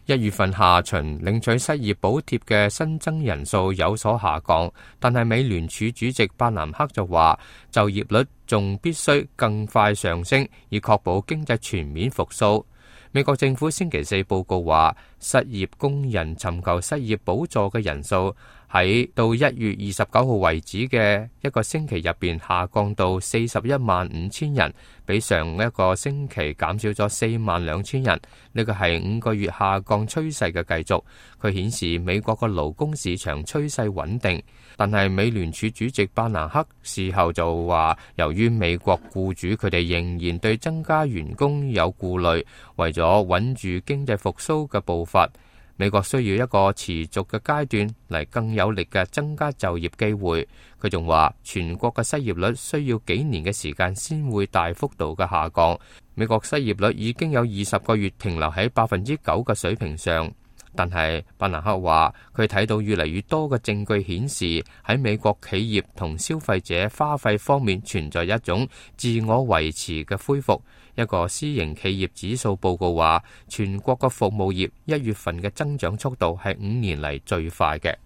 1月份下旬領取失業補貼嘅新增人數有所下降，但係美聯儲主席伯南克就話，就業率仲必須更快上升，以確保經濟全面復甦。美國政府星期四報告話，失業工人尋求失業補助嘅人數喺到1月29號為止嘅一個星期入邊下降到415000人，比上一個星期減少咗42000人。呢個係5個月下降趨勢嘅繼續。佢顯示美國嘅勞工市場趨勢穩定，但係美聯儲主席伯南克事後就話，由於美國僱主佢哋仍然對增加員工有顧慮，為咗穩住經濟復甦嘅步伐，美國需要一個持續嘅階段嚟更有力嘅增加就業機會。佢仲話，全國嘅失業率需要幾年嘅時間先會大幅度嘅下降。美國失業率已經有20個月停留喺9%嘅水平上，但係伯南克話，佢睇到越嚟越多嘅證據顯示，喺美國企業同消費者花費方面存在一種自我維持嘅恢復。一個私營企業指數報告話，全國嘅服務業1月份嘅增長速度係5年嚟最快嘅。